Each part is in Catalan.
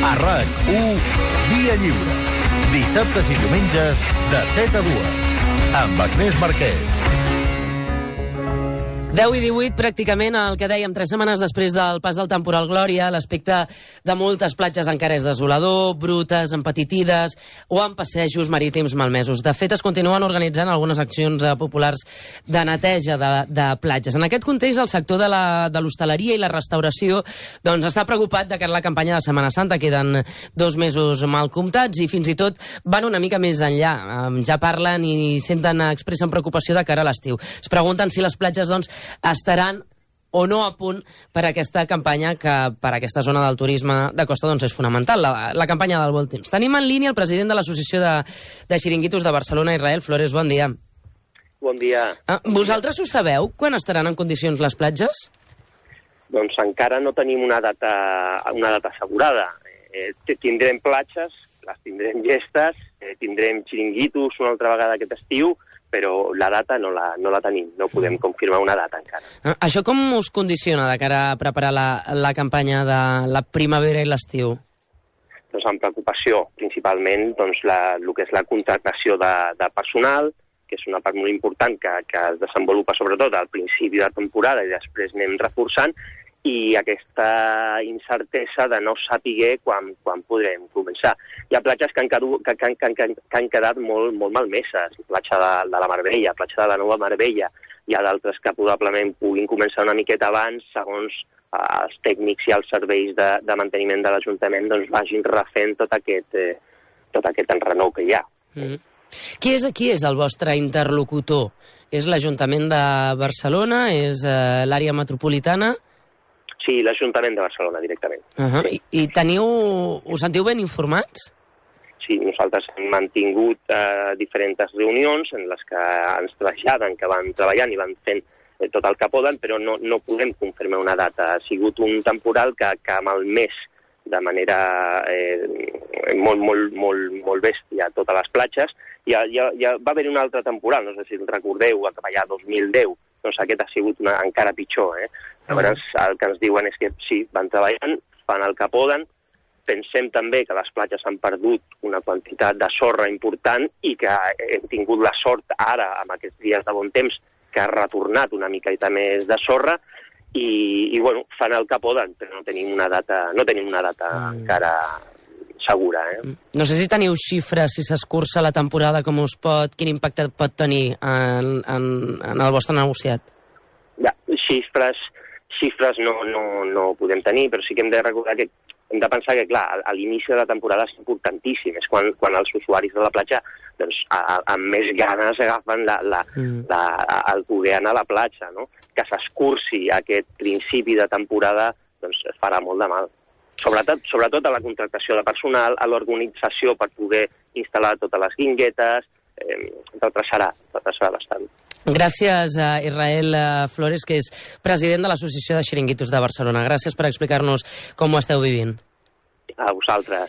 A RAC1, Via Lliure. Dissabtes i diumenges de 7 a 2. Amb Agnès Marquès. 10 i 18, pràcticament, el que dèiem, 3 setmanes després del pas del temporal Glòria, l'aspecte de moltes platges encara és desolador, brutes, empetitides o amb passejos marítims malmesos. De fet, es continuen organitzant algunes accions populars de neteja de platges. En aquest context, el sector de l'hostaleria i la restauració doncs, està preocupat de cara a la campanya de Setmana Santa. Queden 2 mesos mal comptats i fins i tot van una mica més enllà. Ja parlen i expressen preocupació de cara a l'estiu. Es pregunten si les platges, doncs, estaran o no a punt per a aquesta campanya que per a aquesta zona del turisme de costa doncs és fonamental, la campanya del Bon Temps. Tenim en línia el president de l'Associació de Xiringuitos de Barcelona, Israel Flores. Bon dia. Bon dia. Vosaltres ho sabeu, quan estaran en condicions les platges? Doncs encara no tenim una data assegurada. Tindrem platges, les tindrem llestes, tindrem xiringuitos una altra vegada aquest estiu, però la data no la tenim, no podem confirmar una data encara. Això com us condiciona de cara a preparar la campanya de la primavera i l'estiu? Doncs amb preocupació, principalment doncs, el que és la contractació de personal, que és una part molt important que es desenvolupa sobretot al principi de temporada i després anem reforçant, i aquesta incertesa de no saber quan podrem començar. Hi ha platges que han quedat molt malmeses, platja de la Marbella, platja de la Nova Marbella. Hi ha d'altres que probablement puguin començar una miqueta abans, segons els tècnics i els serveis de manteniment de l'Ajuntament doncs vagin refent tot aquest enrenou que hi ha. Qui és el vostre interlocutor? És l'Ajuntament de Barcelona? És l'àrea metropolitana? Sí, l'Ajuntament de Barcelona, directament. Sí. I us sentiu ben informats? Sí, nosaltres hem mantingut diferents reunions en les que ens traslladen que van treballant i van fent tot el que poden, però no podem confirmar una data. Ha sigut un temporal que ha malmès de manera molt bèstia a totes les platges. Ja va haver un altre temporal, no sé si recordeu, que va allà 2010, doncs aquest ha sigut encara pitjor. Llavors, el que ens diuen és que sí, van treballant, fan el que poden. Pensem també que les platges han perdut una quantitat de sorra important i que hem tingut la sort ara, amb aquests dies de bon temps, que ha retornat una miqueta més de sorra i bueno, fan el que poden, però no tenim una data encara segura. No sé si teniu xifres, si s'escurça la temporada, quin impacte pot tenir en el vostre negociat? Ja, xifres no podem tenir, però sí que hem de recordar que hem de pensar que, clar, a l'inici de la temporada és importantíssim, és quan els usuaris de la platja doncs, amb més ganes agafen el poder anar a la platja, no? Que s'escurci aquest principi de temporada doncs farà molt de mal. Sobretot a la contractació de personal, a l'organització per poder instal·lar totes les guinguetes, retrasarà bastant. Gràcies a Israel Flores, que és president de l'Associació de Xiringuitos de Barcelona. Gràcies per explicar-nos com ho esteu vivint. A vosaltres.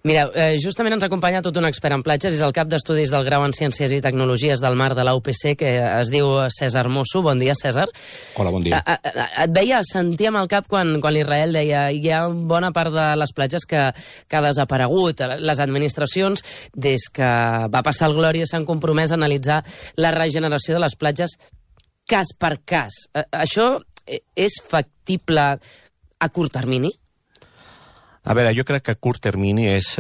Mireu, justament ens acompanya tot un expert en platges, és el cap d'estudis del Grau en Ciències i Tecnologies del Mar de la UPC, que es diu Cèsar Mosso. Bon dia, Cèsar. Hola, bon dia. Sentia amb el cap quan l'Israel deia hi ha bona part de les platges que ha desaparegut. Les administracions, des que va passar el Glòria, s'han compromès a analitzar la regeneració de les platges cas per cas. Això és factible a curt termini? A veure, jo crec que a curt termini és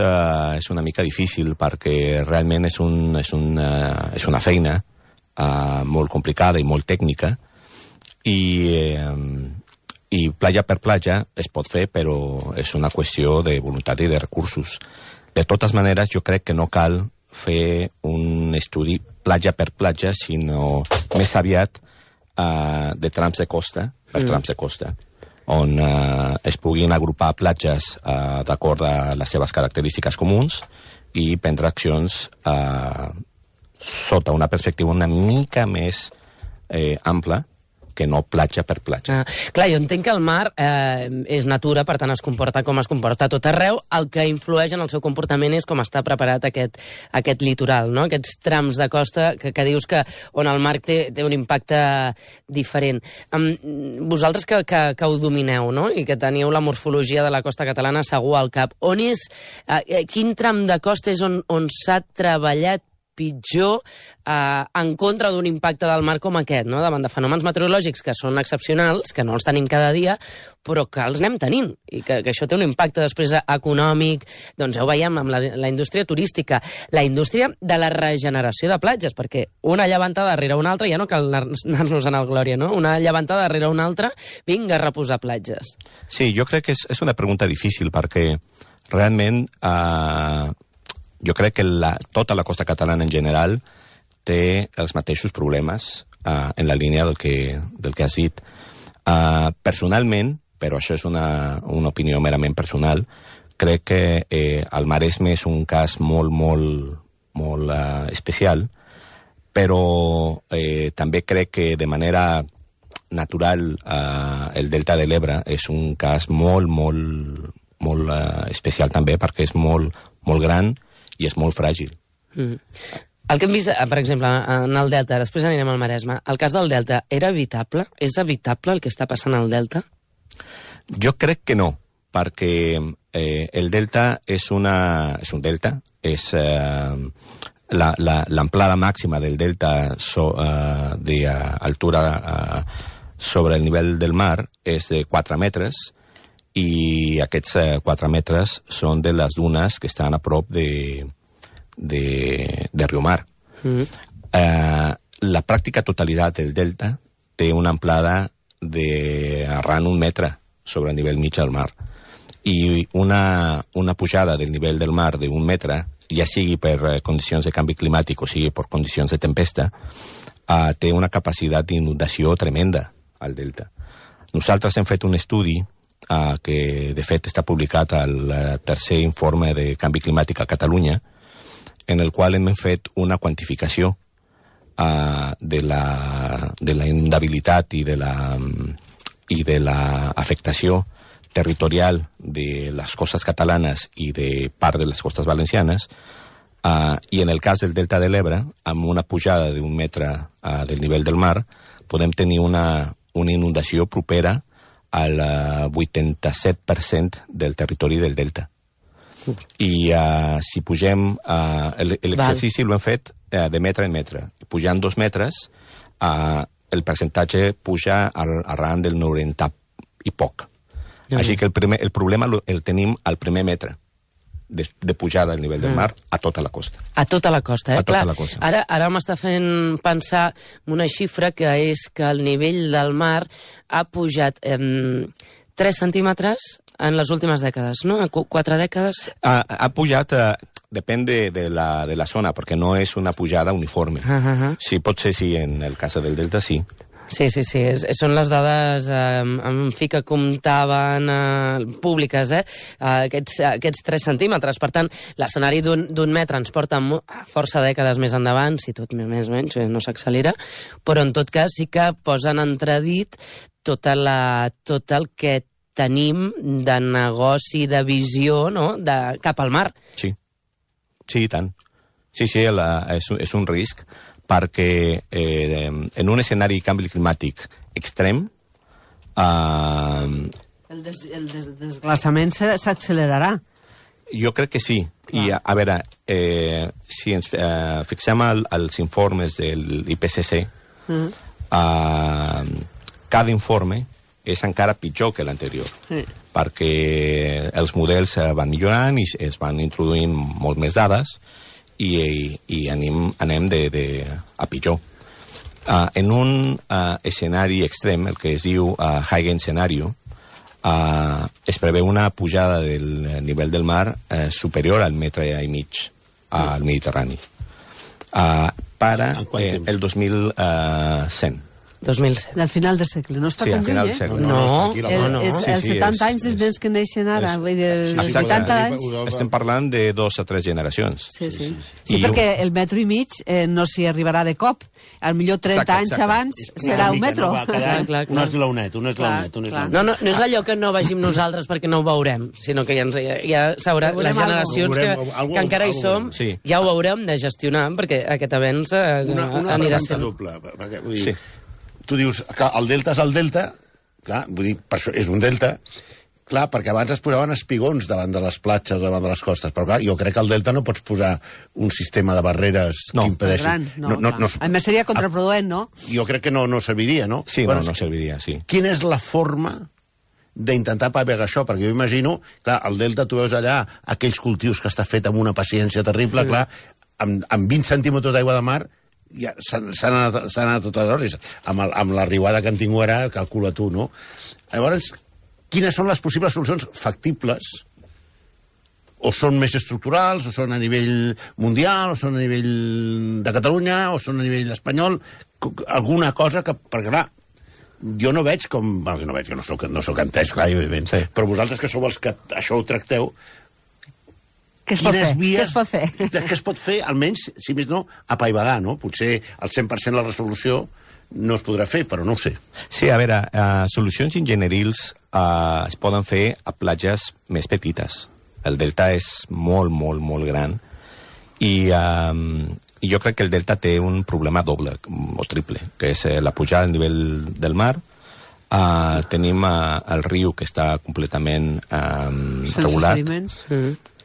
una mica difícil perquè realment és una feina molt complicada i molt tècnica i platja per platja es pot fer, però és una qüestió de voluntat i de recursos. De totes maneres, jo crec que no cal fer un estudi platja per platja, sinó més aviat de trams de costa per trams de costa, on es puguin agrupar platges d'acord a les seves característiques comuns i prendre accions sota una perspectiva una mica més ampla que no platja per platja. Clar, jo entenc que el mar és natura, per tant es comporta com es comporta a tot arreu. El que influeix en el seu comportament és com està preparat aquest litoral, no? Aquests trams de costa que dius que on el mar té un impacte diferent. Vosaltres que ho domineu, no? I que teniu la morfologia de la costa catalana segur al cap. Quin tram de costa és on s'ha treballat pitjor en contra d'un impacte del mar com aquest, no? Davant de fenòmens meteorològics que són excepcionals, que no els tenim cada dia, però que els anem tenint, i que això té un impacte després econòmic, doncs ja ho veiem amb la indústria turística, la indústria de la regeneració de platges, perquè una llevantada darrere una altra, ja no cal anar-nos en el Glòria, no? Una llevantada darrere una altra, vinga a reposar platges. Sí, jo crec que és una pregunta difícil, perquè realment jo crec que tota la costa catalana en general té els mateixos problemes en la línia del que has dit. Personalment, però això és una opinió merament personal, crec que el Maresme és un cas molt, molt, molt especial, però també crec que de manera natural el Delta de l'Ebre és un cas molt, molt, molt especial també, perquè és molt, molt gran i és molt fràgil. El que hem vist, per exemple, en el Delta, després anirem al Maresme, el cas del Delta, era evitable? És evitable el que està passant al Delta? Jo crec que no, perquè el Delta és un delta, és l'amplada màxima del Delta d'altura sobre el nivell del mar és de 4 metres, i aquests 4 metres són de les dunes que estan a prop de Riumar. La pràctica totalitat del delta té una amplada d'arran 1 metre sobre el nivell mig del mar. I una pujada del nivell del mar d'1 metre, ja sigui per condicions de canvi climàtic o sigui per condicions de tempesta, té una capacitat d'inundació tremenda al delta. Nosaltres hem fet un estudi que de fet està publicat al tercer informe de canvi climàtic a Catalunya, en el qual hem fet una quantificació de la inundabilitat i de la afectació territorial de les costes catalanes i de part de les costes valencianes, i en el cas del Delta de l'Ebre, amb una pujada d'1 metre del nivell del mar, podem tenir una inundació propera al 87% del territori del delta. I si pugem, l'exercici l'hem fet de metre en metre. Pujant 2 metres, el percentatge puja arran del 90 i poc. Així que el problema el tenim al primer metre de pujada al nivell del mar a tota la costa. A tota la costa, A tota la costa. Ara m'està fent pensar en una xifra que és que el nivell del mar ha pujat 3 centímetres en les últimes dècades, no? 4 dècades? Ha pujat, depèn de la zona, perquè no és una pujada uniforme. Sí, pot ser sí, en el cas del delta sí. Sí, són les dades en fi que comptaven públiques, aquests 3 centímetres. Per tant, l'escenari d'1 metre ens porta força dècades més endavant, si tot més o menys no s'accelera, però en tot cas sí que posa en entredit tot el que tenim de negoci, de visió, no?, cap al mar. Sí, i tant. Sí, és un risc, perquè en un escenari de canvi climàtic extrem... El desglaçament s'accelerarà. Jo crec que sí. I, a veure, si ens fixem als informes de l'IPCC, cada informe és encara pitjor que l'anterior, perquè els models van millorant i es van introduint molt més dades, i anem a pitjor. En un escenari extrem, el que es diu high gain scenario, es preveu una pujada del nivell del mar superior al metre i mig al Mediterrani. Per el 2100. 2007. Del final del segle. No està Sí, tan al final lluny, del eh? segle. No. És Sí, els sí, 70 anys és- des que neixen ara. Vull dir, dels Exacte. 80 anys. Estem parlant de 2 o 3 generacions. Sí, sí. I Sí, perquè el metro i mig no s'hi arribarà de cop. Al millor 30 Exacte, anys exacte. abans serà un metro. Clar. Un eslaonet, un eslaonet. No és allò que no vegim nosaltres perquè no ho veurem, sinó que ja s'haurà, Veurem les generacions alguna que encara hi cosa. som, Sí. ja ho haurem de gestionar, perquè aquest avenç Una anirà pregunta sent... doble. Perquè, vull dir, Sí. Tu dius que el delta és el delta, clar, vull dir, per això és un delta, clar, perquè abans es posaven espigons davant de les platges, davant de les costes, però clar, jo crec que al delta no pots posar un sistema de barreres No. que impedeixi... Gran, clar. A més, seria contraproduent, no? Jo crec que no serviria, no? Sí, Bueno, no serviria, sí. Quina és la forma d'intentar pagar això? Perquè jo imagino, clar, al delta tu veus allà aquells cultius que està fet amb una paciència terrible, clar, amb 20 centímetres d'aigua de mar ja s'han anat totes hores. Amb la riuada que han tingut ara, calcula tu, no? Llavors, quines són les possibles solucions factibles? O són més estructurals, o són a nivell mundial, o són a nivell de Catalunya, o són a nivell espanyol? Alguna cosa que... Perquè, clar, jo no veig com... Bueno, jo no soc entès, clar, evidentment. Sí. Però vosaltres que sou els que això ho tracteu, Què es pot fer? vies... Què es pot fer? Què es pot fer, almenys, si més no, apaivagar, no? Potser al 100% la resolució no es podrà fer, però no ho sé. Sí, a veure, solucions ingenierils es poden fer a platges més petites. El delta és molt, molt, molt gran i jo crec que el delta té un problema doble o triple, que és la pujada al nivell del mar. Tenim el riu que està completament regulat. Sense sediments.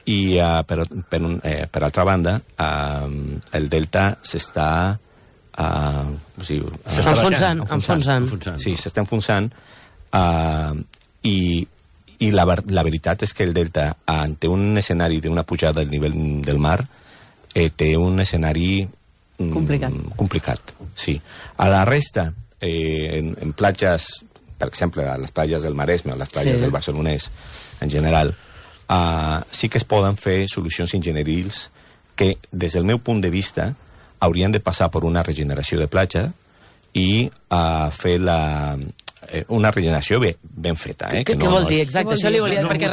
I per altra banda el delta s'està enfonsant. Sí, s'està enfonsant i la veritat és que el delta ante un escenari d'una pujada del nivell del mar té un escenari complicat, sí. A la resta en platges, per exemple a les platges del Maresme o les platges del Barcelonès en general, sí que es poden fer solucions ingenierils que, des del meu punt de vista, haurien de passar per una regeneració de platja i fer una regeneració ben feta. Què vol dir? Exacte, això li volia dir, perquè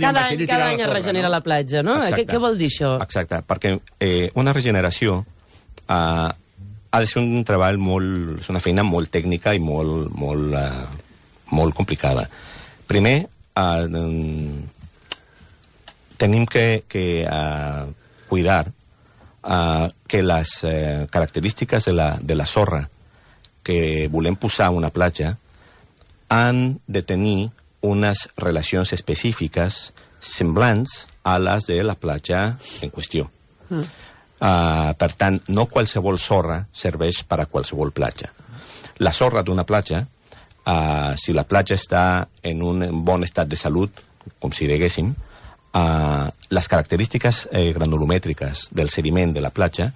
cada any es regenera la platja, no? Què vol dir això? Exacte, perquè una regeneració ha de ser un treball és una feina molt tècnica i molt complicada. Primer, tenim que cuidar que les característiques de la sorra que volem posar a una platja han de tenir unes relacions específiques semblants a les de la platja en qüestió. Per tant, no qualsevol sorra serveix per a qualsevol platja. La sorra d'una platja, si la platja està en un bon estat de salut, com si diguéssim, les característiques granulomètriques del sediment de la platja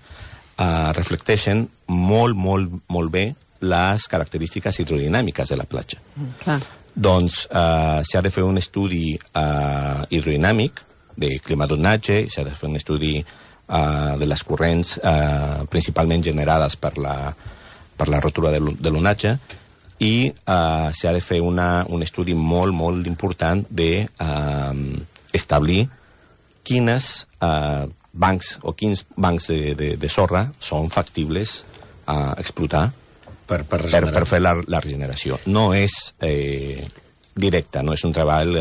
reflecteixen molt bé les característiques hidrodinàmiques de la platja. Doncs s'ha de fer un estudi hidrodinàmic de climadonatge, s'ha de fer un estudi de les corrents principalment generades per la rotura de l'onatge i s'ha de fer un estudi molt important de establir quins bancs de sorra són factibles a explotar per fer la regeneració. No és directe, no és un treball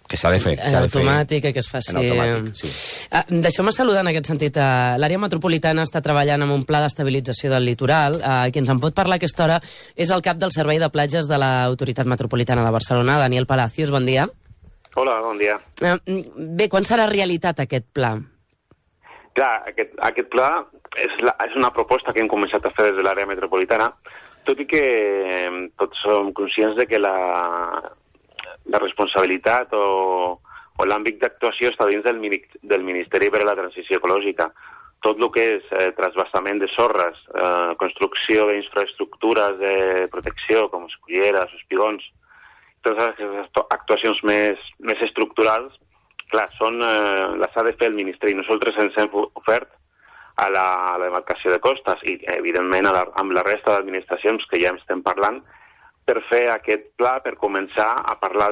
que s'ha de fer. En automàtic, que es faci... En automàtic, sí. Deixeu-me saludar en aquest sentit. L'àrea metropolitana està treballant amb un pla d'estabilització del litoral. Qui ens en pot parlar a aquesta hora és el cap del Servei de Platges de l'Autoritat Metropolitana de Barcelona, Daniel Palacios. Bon dia. Hola, bon dia. Bé, quan serà realitat aquest pla? Clar, aquest pla és una proposta que hem començat a fer des de l'àrea metropolitana, tot i que tots som conscients de que la responsabilitat o l'àmbit d'actuació està dins del Ministeri per a la Transició Ecològica. Tot el que és trasbassament de sorres, construcció d'infraestructures de protecció, com esculleres, espigons, totes aquestes actuacions més estructurals, clar, les ha de fer el Ministeri. Nosaltres ens hem ofert a la demarcació de costes i, evidentment, amb la resta d'administracions que ja estem parlant, per fer aquest pla, per començar a parlar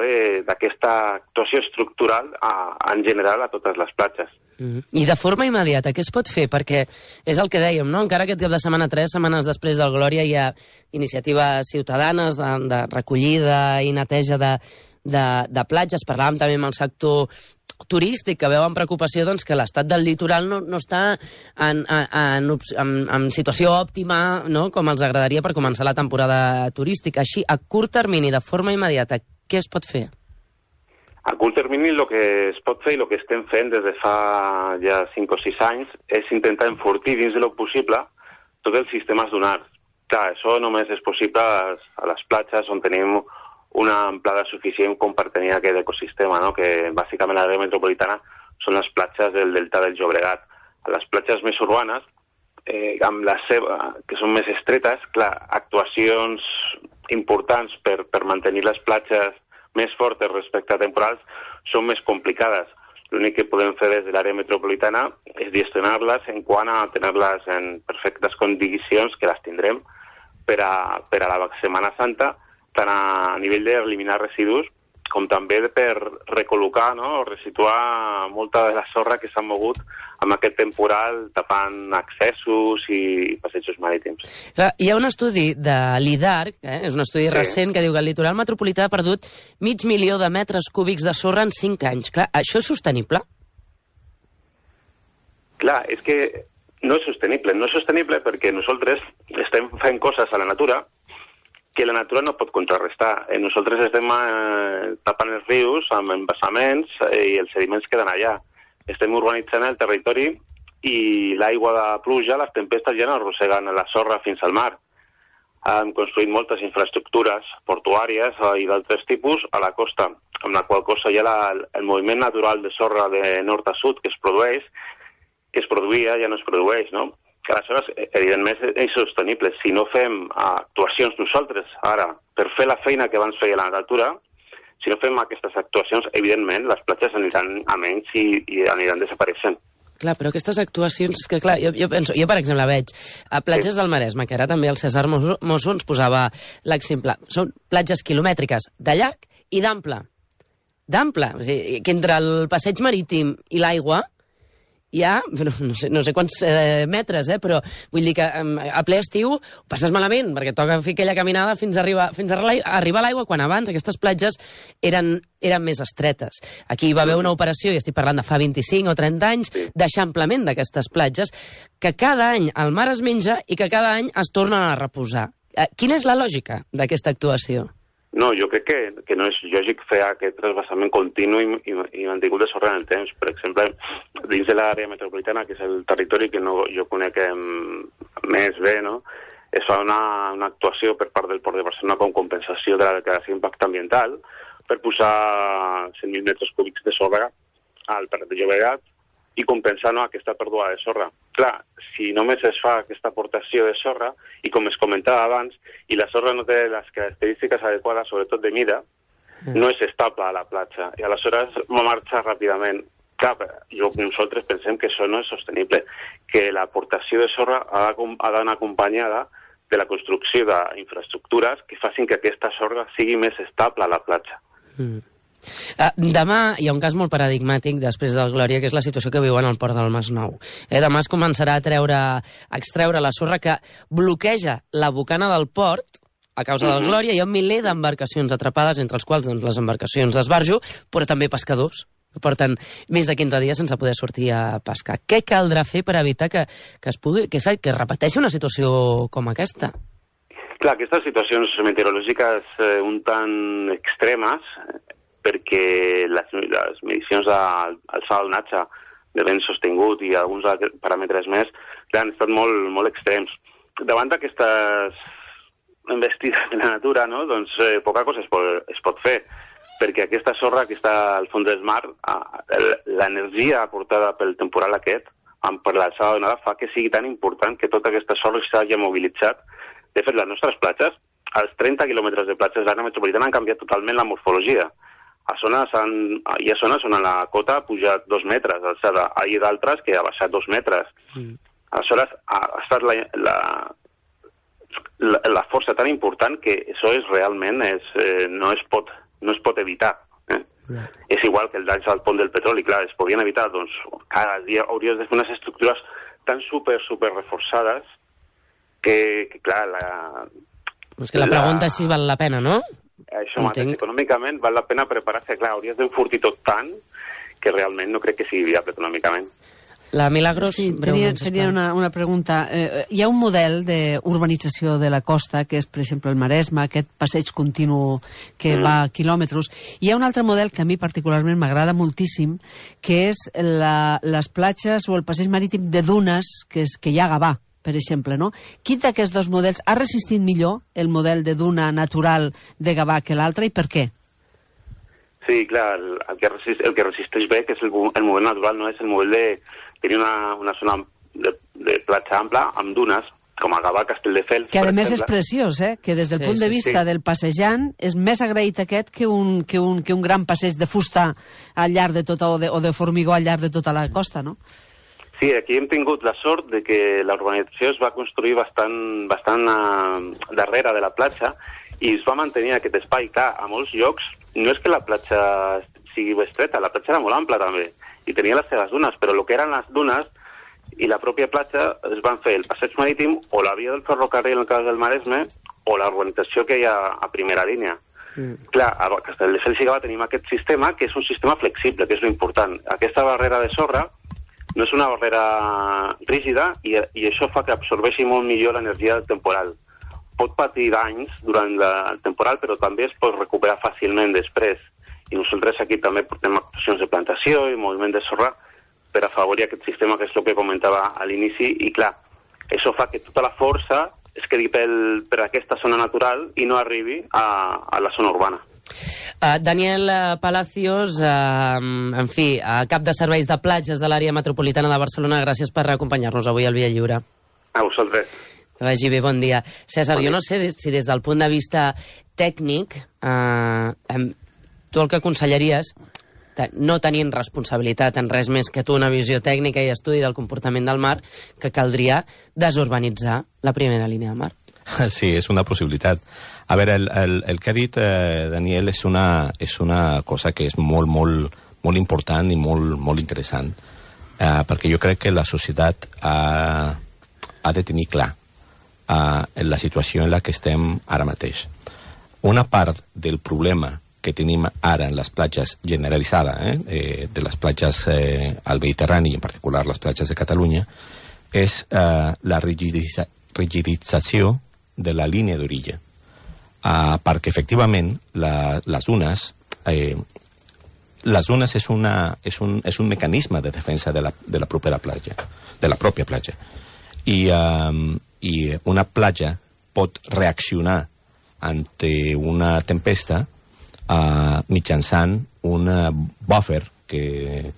d'aquesta actuació estructural en general a totes les platges. I de forma immediata, què es pot fer? Perquè és el que dèiem, no? Encara aquest cap de setmana, 3 setmanes després del Glòria, hi ha iniciatives ciutadanes de recollida i neteja de platges. Parlàvem també amb el sector turístic, que veu amb preocupació doncs, que l'estat del litoral no està en situació òptima, no? Com els agradaria per començar la temporada turística. Així, a curt termini, de forma immediata, què es pot fer? A curt termini el que es pot fer i el que estem fent des de fa ja 5 o 6 anys és intentar enfortir dins del possible tots els sistemes dunars. Clar, això només és possible a les platges on tenim una amplada suficient com per tenir aquest ecosistema, no? Que bàsicament a l'àrea metropolitana són les platges del delta del Llobregat. A les platges més urbanes, amb que són més estretes, clar, actuacions importants per mantenir les platges més fortes respecte a temporals són més complicades. L'únic que podem fer des de l'àrea metropolitana és gestionar-les en quant a tenir-les en perfectes condicions, que les tindrem, per a la Setmana Santa, tant a nivell d'eliminar residus com també per recol·locar, no? O resituar molta de la sorra que s'ha mogut amb aquest temporal tapant accessos i passejos marítims. Clar, hi ha un estudi de l'IDARC, és un estudi recent, que diu que el litoral metropolità ha perdut 500.000 de metres cúbics de sorra en 5 anys. Clar, això és sostenible? Clar, és que no és sostenible. No és sostenible perquè nosaltres estem fent coses a la natura que la natura no pot contrarrestar. Nosaltres estem tapant els rius amb embassaments i els sediments queden allà. Estem urbanitzant el territori i l'aigua de pluja, les tempestes ja no arrosseguen la sorra fins al mar. Hem construït moltes infraestructures portuàries i d'altres tipus a la costa, amb la qual cosa ja el moviment natural de sorra de nord a sud que es produïa, ja no es produeix, no? Que aleshores, evidentment, és sostenible. Si no fem actuacions nosaltres, ara, per fer la feina que abans feia la natura, si no fem aquestes actuacions, evidentment, les platges aniran a menys i aniran desapareixent. Clar, però aquestes actuacions... Que, clar, jo penso, jo, per exemple, veig a platges del Maresme, que ara també el César Mosso ens posava l'exemple. Són platges quilomètriques de llarg i d'ample. D'ample. O sigui, que entre el passeig marítim i l'aigua hi ha, no sé quants metres, però vull dir que a ple estiu ho passes malament, perquè toca fer aquella caminada fins a arribar a l'aigua, quan abans aquestes platges eren més estretes. Aquí hi va haver una operació, i estic parlant de fa 25 o 30 anys, d'eixamplament d'aquestes platges, que cada any el mar es menja i que cada any es tornen a reposar. Quina és la lògica d'aquesta actuació? No, jo crec que no és lògic fer aquest trasbassament continu i mantingut de sorra en el temps. Per exemple, dins de l'àrea metropolitana, que és el territori que jo conec més bé, no? Es fa una actuació per part del Port de Barcelona com compensació de la declaració d'impacte ambiental per posar 100.000 metres cúbics de sorra al Prat de Llobregat i compensar aquesta pèrdua de sorra. Clar, si només es fa aquesta aportació de sorra, i com es comentava abans, i la sorra no té les característiques adequades, sobretot de mida, no és estable a la platja, i aleshores marxa ràpidament. Clar, nosaltres pensem que això no és sostenible, que l'aportació de sorra ha d'anar acompanyada de la construcció d'infraestructures que facin que aquesta sorra sigui més estable a la platja. Demà hi ha un cas molt paradigmàtic després del Glòria, que és la situació que viuen al port del Masnou. Demà es començarà a extreure la sorra que bloqueja la bocana del port a causa del Glòria. Hi ha un miler d'embarcacions atrapades, entre els quals les embarcacions d'esbarjo, però també pescadors, que porten més de 15 dies sense poder sortir a pescar. Què caldrà fer per evitar que es repeteixi una situació com aquesta? Clar, aquestes situacions meteorològiques un tant extremes, perquè les medicions d'alçada del natge de vent sostingut i alguns paràmetres més han estat molt extrems. Davant d'aquestes envestides de la natura, no? Doncs poca cosa es pot fer, perquè aquesta sorra que està al fons del mar, l'energia aportada pel temporal aquest, per l'alçada donada, fa que sigui tan important que tota aquesta sorra s'hagi mobilitzat. De fet, les nostres platges, als 30 quilòmetres de platges de l'àrea metropolitana han canviat totalment la morfologia. Hi ha zones on la cota ha pujat 2 metres d'alçada, hi ha d'altres que ha baixat 2 metres. Aleshores, ha estat la força tan important que això és realment no es pot evitar. És igual que el danys al pont del petroli, clar, es podien evitar, doncs cada dia hauries de fer unes estructures tan super reforçades que clar, és que la pregunta és si val la pena, no? Això mateix, econòmicament val la pena preparar-se, clar, hauries d'enfortir tot tant que realment no crec que sigui viable econòmicament. La Milagros... Sí, tenia una pregunta. Hi ha un model d'urbanització de la costa, que és, per exemple, el Maresme, aquest passeig continu que va quilòmetres. Hi ha un altre model que a mi particularment m'agrada moltíssim, que és les platges o el passeig marítim de dunes que hi ha a Gavà, per exemple, no? Quin d'aquests dos models ha resistit millor el model de duna natural de Gavà que l'altre i per què? Sí, clar, el que resisteix bé, que és el model natural, no és el model de tenir una zona de platja ampla amb dunes, com a Gavà, Castelldefels, que a més és preciós, que des del punt de vista del passejant és més agraït aquest que un gran passeig de fusta al llarg de tota, o de formigó al llarg de tota la costa, no? Sí, aquí hem tingut la sort de que la urbanització es va construir bastant darrere de la platja i es va mantenir aquest espai. Clar, a molts llocs no és que la platja sigui estreta, la platja era molt ampla també i tenia les seves dunes, però el que eren les dunes i la pròpia platja es van fer el passeig marítim o la via del ferrocarril en el cas del Maresme o la urbanització que hi ha a primera línia. Clar, a Castelldefels i Gavà tenim aquest sistema que és un sistema flexible, que és l'important. Aquesta barrera de sorra no és una barrera rígida i això fa que absorbeixi molt millor l'energia temporal. Pot patir danys durant el temporal, però també es pot recuperar fàcilment després. I nosaltres aquí també portem actuacions de plantació i moviment de sorra per afavorir aquest sistema, que és el que comentava a l'inici, i clar, això fa que tota la força es quedi per aquesta zona natural i no arribi a la zona urbana. Daniel Palacios, en fi, cap de serveis de platges de l'àrea metropolitana de Barcelona, gràcies per acompanyar-nos avui al Via Lliure. A vosaltres. Que vagi bé, bon dia. César, jo no sé si des del punt de vista tècnic tu el que aconsellaries, no tenint responsabilitat en res més que tu una visió tècnica i estudi del comportament del mar, que caldria desurbanitzar la primera línia del mar. Sí, és una possibilitat. A veure, el que ha dit Daniel és una cosa que és molt important i molt interessant, perquè jo crec que la societat ha de tenir clar la situació en la que estem ara mateix. Una part del problema que tenim ara en les platges generalitzada, de les platges al Mediterrani, i en particular les platges de Catalunya, és la rigidització de la línia d'orilla. Perquè, efectivament, les dunes és un mecanisme de defensa de la propera platja, de la pròpia platja. I una platja pot reaccionar ante una tempesta mitjançant un buffer que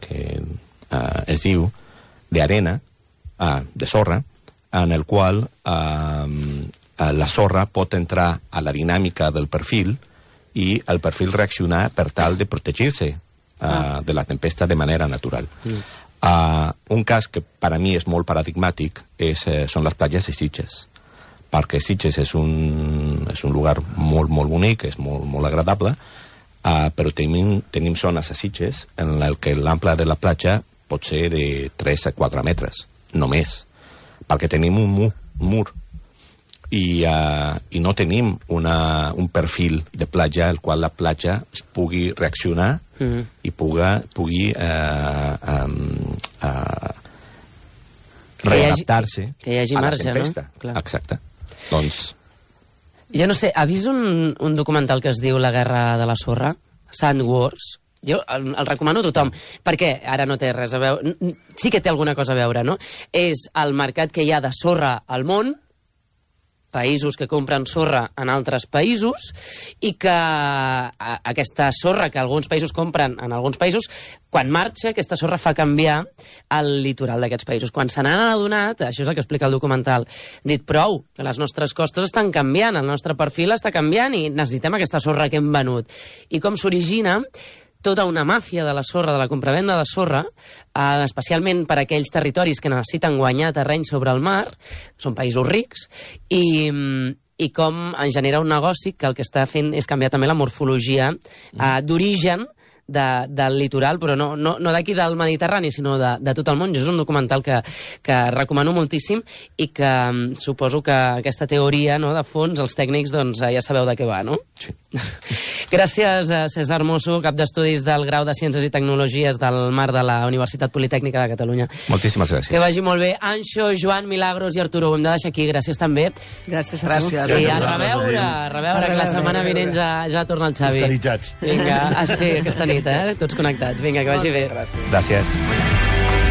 es diu d'arena, de sorra, en el qual la sorra pot entrar a la dinàmica del perfil i el perfil reaccionar per tal de protegir-se de la tempesta de manera natural. Un cas que per a mi és molt paradigmàtic són les platges de Sitges, perquè Sitges és un lugar molt bonic, és molt agradable, però tenim zones a Sitges en què l'ample de la platja pot ser de 3 a 4 metres, només, perquè tenim un mur i no tenim un perfil de platja al qual la platja es pugui reaccionar i pugui readaptar-se a la tempesta. No? Clar. Exacte. Doncs... Jo no sé, ha vist un documental que es diu La guerra de la sorra? Sand Wars? Jo el recomano a tothom, perquè ara no té res a veure... Sí que té alguna cosa a veure, no? És el mercat que hi ha de sorra al món, països que compren sorra en altres països, i que aquesta sorra que alguns països compren en alguns països, quan marxa, aquesta sorra fa canviar el litoral d'aquests països. Quan se n'han adonat, això és el que explica el documental, dit prou, que les nostres costes estan canviant, el nostre perfil està canviant i necessitem aquesta sorra que hem venut. I com s'origina? tota una màfia de la sorra, de la compravenda de sorra, especialment per a aquells territoris que necessiten guanyar terreny sobre el mar, són països rics, i com en genera un negoci que el que està fent és canviar també la morfologia d'origen del litoral, però no d'aquí del Mediterrani, sinó de tot el món. És un documental que recomano moltíssim i que suposo que aquesta teoria, no, de fons, els tècnics, doncs ja sabeu de què va, no? Sí. Gràcies a César Mosso, cap d'estudis del Grau de Ciències i Tecnologies del Mar de la Universitat Politècnica de Catalunya. Moltíssimes gràcies. Que vagi molt bé. Anxo, Joan, Milagros i Arturo, ho hem de deixar aquí. Gràcies també. Gràcies a tu. I a reveure, que la setmana vinent ja torna el Xavi. Estaritzats. Vinga, sí, aquesta nit, tots connectats. Vinga, que vagi bé. Gràcies.